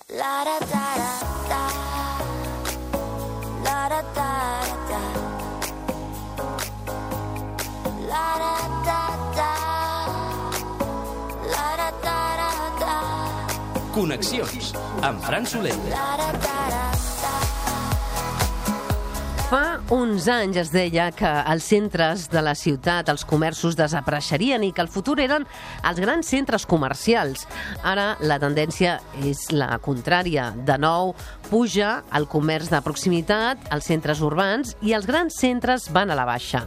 La da da da la da da da la da da da la da da da. Connexions amb Fran Soler. La da da da. Fa uns anys es deia que els centres de la ciutat, els comerços, desapareixerien i que el futur eren els grans centres comercials. Ara la tendència és la contrària. De nou, puja el comerç de proximitat, els centres urbans, i els grans centres van a la baixa.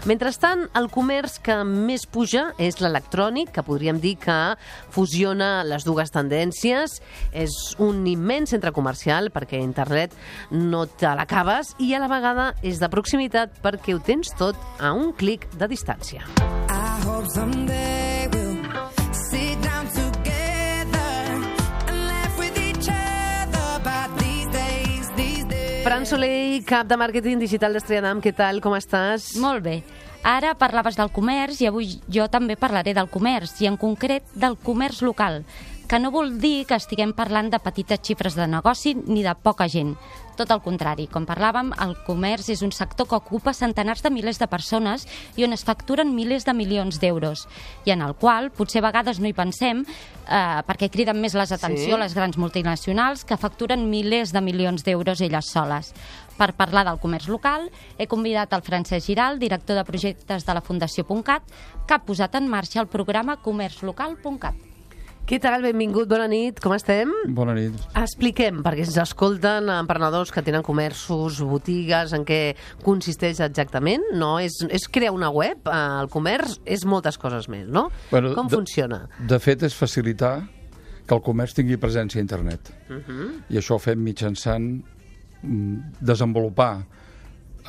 Mentrestant, el comerç que més puja és l'electrònic, que podríem dir que fusiona les dues tendències. És un immens centre comercial perquè internet no te l'acabes i a la vegada és de proximitat perquè ho tens tot a un clic de distància. I hope someday we'll sit down together and laugh with each other about these days. Fran Soler, cap de màrqueting digital d'Estrella, què tal, com estàs? Molt bé. Ara parlaves del comerç i avui jo també parlaré del comerç, i en concret del comerç local, que no vol dir que estiguem parlant de petites xifres de negoci ni de poca gent. Tot el contrari, com parlàvem, el comerç és un sector que ocupa centenars de milers de persones i on es facturen milers de milions d'euros, i en el qual potser a vegades no hi pensem perquè criden més l'atenció les grans multinacionals que facturen milers de milions d'euros elles soles. Per parlar del comerç local, he convidat el Francesc Giral, director de projectes de la Fundació .cat, que ha posat en marxa el programa comerçlocal.cat. Què tal? Benvingut, bona nit, com estem? Bona nit. Expliquem, perquè ens escolten emprenedors que tenen comerços, botigues, en què consisteix exactament, no? És crear una web, el comerç és moltes coses més, no? Bueno, com funciona? De fet, és facilitar que el comerç tingui presència a internet. I això ho fem mitjançant desenvolupar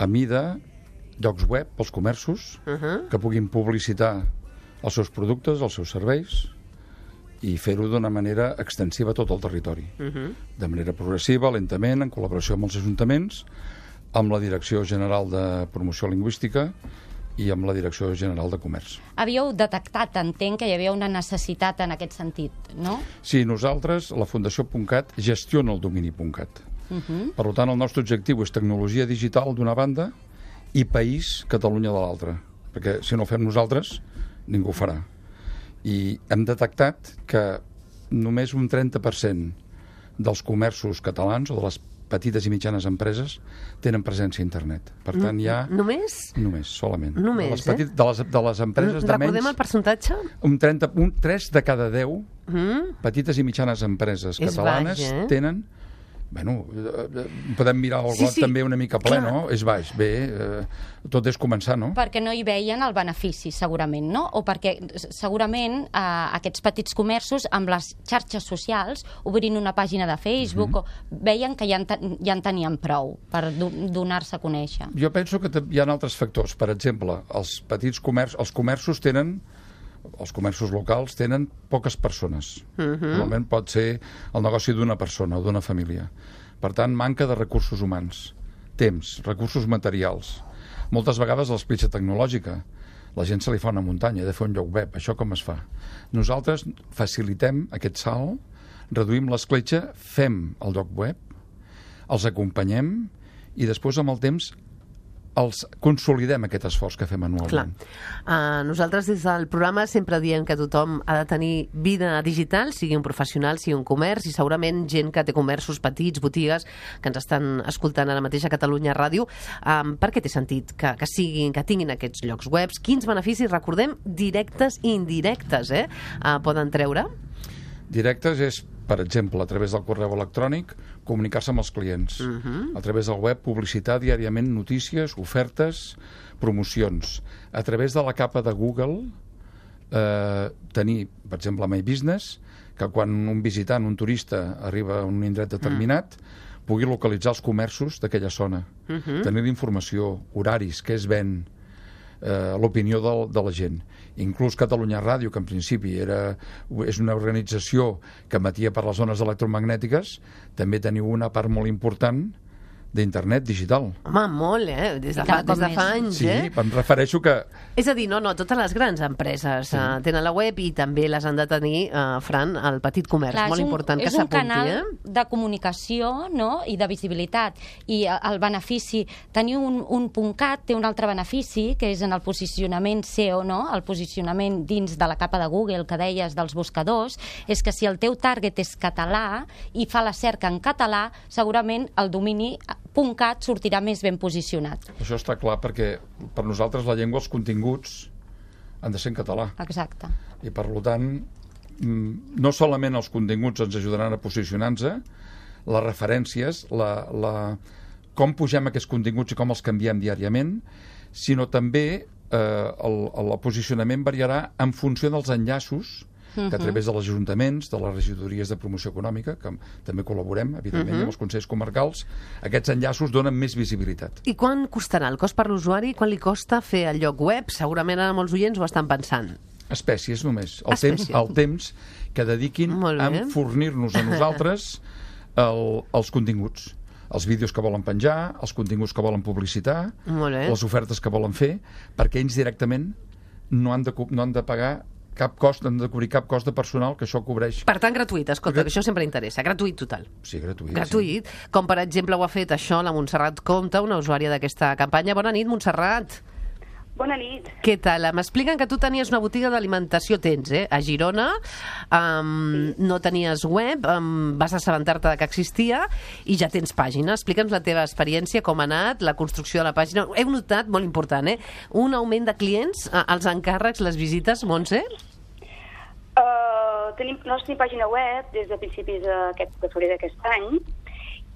a mida llocs web pels comerços que puguin publicitar els seus productes, els seus serveis, i fer-ho d'una manera extensiva a tot el territori. De manera progressiva, lentament, en col·laboració amb els ajuntaments, amb la Direcció General de Promoció Lingüística i amb la Direcció General de Comerç. Havíeu detectat, entenc, que hi havia una necessitat en aquest sentit, no? Sí, nosaltres, la Fundació .cat, gestiona el domini .cat. Per tant, el nostre objectiu és tecnologia digital d'una banda i país Catalunya de l'altra. Perquè si no ho fem nosaltres, ningú ho farà. I hem detectat que només un 30% dels comerços catalans o de les petites i mitjanes empreses tenen presència a internet. Per tant, hi ha... Només? Només, solament. Només, de les empreses de menys... Recordem el percentatge? Un 3 de cada 10 petites i mitjanes empreses catalanes tenen... Bueno, podem mirar el got també una mica ple, no? És baix. Bé, tot és començar, no? Perquè no hi veien el benefici, segurament, no? O perquè segurament aquests petits comerços, amb les xarxes socials, obrint una pàgina de Facebook, veien que ja en tenien prou per donar-se a conèixer. Jo penso que hi ha altres factors. Per exemple, els comerços locals tenen poques persones. Normalment pot ser el negoci d'una persona o d'una família. Per tant, manca de recursos humans, temps, recursos materials. Moltes vegades l'escletxa tecnològica. La gent se li fa una muntanya, de fer un lloc web. Això com es fa? Nosaltres facilitem aquest salt, reduïm l'escletxa, fem el lloc web, els acompanyem i després, amb el temps, els consolidem aquest esforç que fem anualment. Nosaltres des del programa sempre diem que tothom ha de tenir vida digital, sigui un professional, sigui un comerç, i segurament gent que té comerços petits, botigues, que ens estan escoltant ara mateix a Catalunya Ràdio. Per què té sentit que tinguin aquests llocs webs? Quins beneficis, recordem, directes i indirectes poden treure? Directes és, per exemple, a través del correu electrònic, comunicar-se amb els clients. A través del web, publicitar diàriament notícies, ofertes, promocions. A través de la capa de Google, tenir, per exemple, My Business, que quan un visitant, un turista, arriba a un indret determinat, pugui localitzar els comerços d'aquella zona. Tenir informació, horaris, què es ven, l'opinió de la gent. Inclús Catalunya Ràdio, que en principi és una organització que emetia per les zones electromagnètiques, també teniu una part molt important d'internet digital. Home, molt, des de Cada cop fa més. anys, Sí, em refereixo que... És a dir, no, totes les grans empreses tenen la web i també les han de tenir, Fran, el petit comerç. Clar, Molt important que és un s'apunti, canal de comunicació, no?, i de visibilitat. I el benefici, tenir un .cat té un altre benefici, que és en el posicionament SEO, no?, el posicionament dins de la capa de Google que deies dels buscadors, és que si el teu target és català i fa la cerca en català, segurament el domini .cat sortirà més ben posicionat. Això està clar perquè per nosaltres la llengua, els continguts han de ser en català. Exacte. I per tant, no solament els continguts ens ajudaran a posicionar-nos, les referències, com pugem aquests continguts i com els canviem diàriament, sinó també el posicionament variarà en funció dels enllaços que a través dels ajuntaments, de les regidories de promoció econòmica, que també col·laborem, evidentment, amb els consells comarcals, aquests enllaços donen més visibilitat. I quan costarà el cost per l'usuari? Quan li costa fer el lloc web? Segurament ara molts oients ho estan pensant. Espècies només. Espècies. El temps que dediquin a fornir-nos a nosaltres els continguts. Els vídeos que volen penjar, els continguts que volen publicitar, les ofertes que volen fer, perquè ells directament no han de pagar cap cost, han de cobrir cap cost de personal, que això cobreix... Per tant, gratuït, escolta, que això sempre interessa. Gratuït total. Sí, gratuït. Gratuït. Sí. Com, per exemple, ho ha fet això la Montserrat Comte, una usuària d'aquesta campanya. Bona nit, Montserrat. Bona nit. Què tal? M'expliquen que tu tenies una botiga d'alimentació, a Girona, no tenies web, vas assabentar-te que existia i ja tens pàgina. Explica'ns la teva experiència, com ha anat, la construcció de la pàgina. Heu notat, molt important, un augment de clients, els encàrrecs, les visites, Montse? Nosaltres tenim pàgina web des de principis de febrer d'aquest any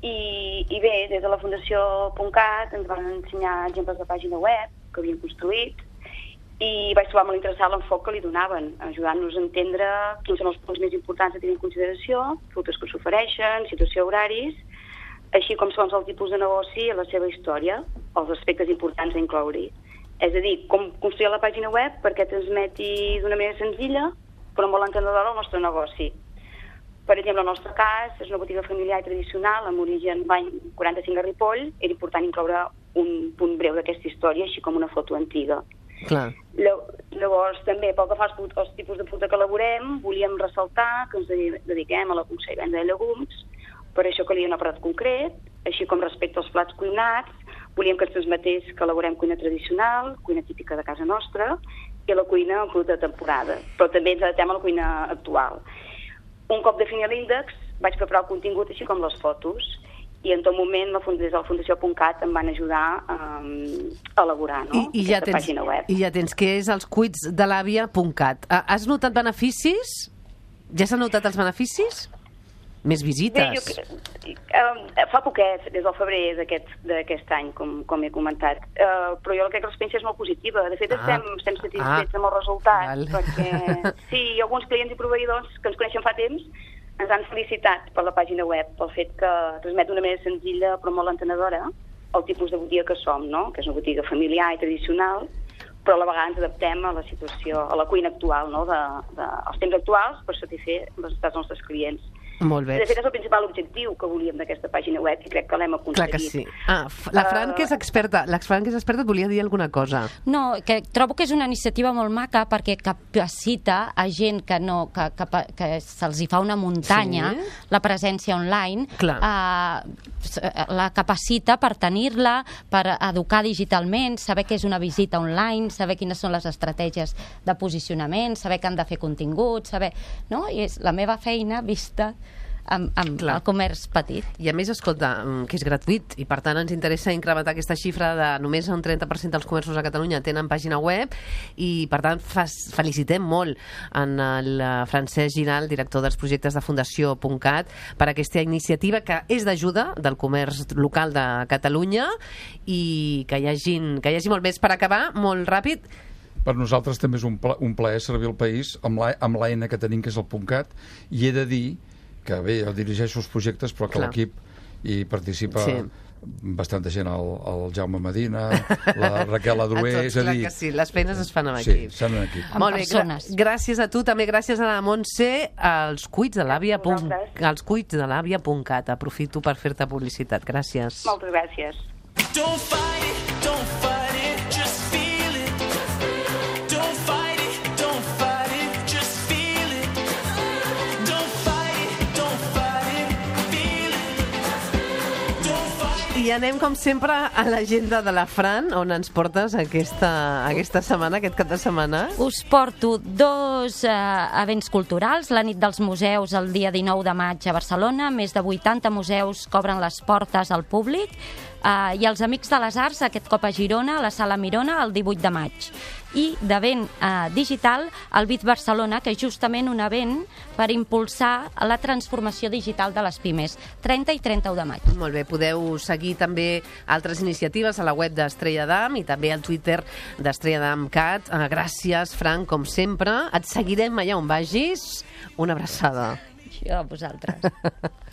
i bé, des de la Fundació .cat ens van ensenyar exemples de pàgina web que havien construït i vaig trobar molt interessant l'enfoc que li donaven, ajudant-nos a entendre quins són els punts més importants a tenir en consideració, productes que s'ofereixen, situació, horaris, així com segons el tipus de negoci i la seva història, els aspectes importants a incloure-hi. És a dir, com construir la pàgina web perquè transmeti d'una manera senzilla però molt entenedora el nostre negoci. Per exemple, el nostre cas és una botiga familiar i tradicional amb origen l'any 45 a Ripoll. Era important incloure un punt breu d'aquesta història, així com una foto antiga. Clar. Llavors, també, pel que fa als tipus de producte que elaborem, volíem ressaltar que ens dediquem a la cursa i venda de llegums, per això calia un apartat concret, així com respecte als plats cuinats, volíem que es transmetés que elaborem cuina tradicional, cuina típica de casa nostra, i la cuina en producte de temporada, però també ens adaptem a la cuina actual. Un cop definir l'índex, vaig preparar el contingut així com les fotos, i en tot moment des de la Fundació .cat em van ajudar a elaborar aquesta pàgina web. I ja tens, que és els cuits de l'àvia.cat. Has notat beneficis? Ja s'han notat els beneficis? Més visites? Bé, fa poquet, des del febrer d'aquest any, com he comentat. Però jo crec que l'experiència és molt positiva. De fet, estem satisfets amb el resultat. Perquè sí, alguns clients i proveïdors que ens coneixen fa temps ens han felicitat per la pàgina web, pel fet que transmet d'una manera senzilla però molt entenedora el tipus de botiga que som, no? Que és una botiga familiar i tradicional, però a la vegada ens adaptem a la situació, a la cuina actual, no? Als temps actuals per satisfer les necessitats dels nostres clients. Molt bé. De fet, és el principal objectiu que volíem d'aquesta pàgina web i crec que l'hem aconseguit. Clar que sí. La Fran, que és experta, et volia dir alguna cosa. No, que trobo que és una iniciativa molt maca perquè capacita a gent que se'ls hi fa una muntanya, la presència online, la capacita per tenir-la, per educar digitalment, saber què és una visita online, saber quines són les estratègies de posicionament, saber que han de fer continguts, saber... No? I és la meva feina vista amb el comerç petit. I a més, escolta, que és gratuït i per tant ens interessa incrementar aquesta xifra de només un 30% dels comerços a Catalunya tenen pàgina web i per tant felicitem molt en el Francesc Giral, director dels projectes de Fundació .cat, per aquesta iniciativa que és d'ajuda del comerç local de Catalunya i que hi hagi molt més. Per acabar, molt ràpid, per nosaltres també és un plaer servir el país amb l'eina que tenim, que és el .cat, i he de dir que bé, jo dirigeixo els projectes, però que l'equip hi participa bastanta gent, el Jaume Medina, la Raquel Adroer, Tots, és a clar dir... que sí, les feines es fan amb Sí, equip. s'han en equip. Amb Molt bé, persones. gràcies a tu, també gràcies a la Montse, als cuits de l'àvia Vosaltres. als cuits de l'àvia.cat. Aprofito per fer-te publicitat. Gràcies. Moltes gràcies. Don't fight it, just feel it. Don't fight it, just feel it. Don't fight it, feel it. Don't fight I anem, com sempre, a l'agenda de la Fran, on ens portes aquesta setmana, aquest cap de setmana. Us porto dos events culturals, la nit dels museus el dia 19 de maig a Barcelona, més de 80 museus que obren les portes al públic, i els Amics de les Arts, aquest cop a Girona, a la Sala Mirona, el 18 de maig. I d'event digital, el Bit Barcelona, que és justament un event per impulsar la transformació digital de les pimes, 30 i 31 de maig. Molt bé, podeu seguir també altres iniciatives a la web d'Estrella d'Am i també al Twitter d'Estrella d'Am Cat. Gràcies, Fran, com sempre. Et seguirem allà on vagis. Una abraçada. Això a vosaltres.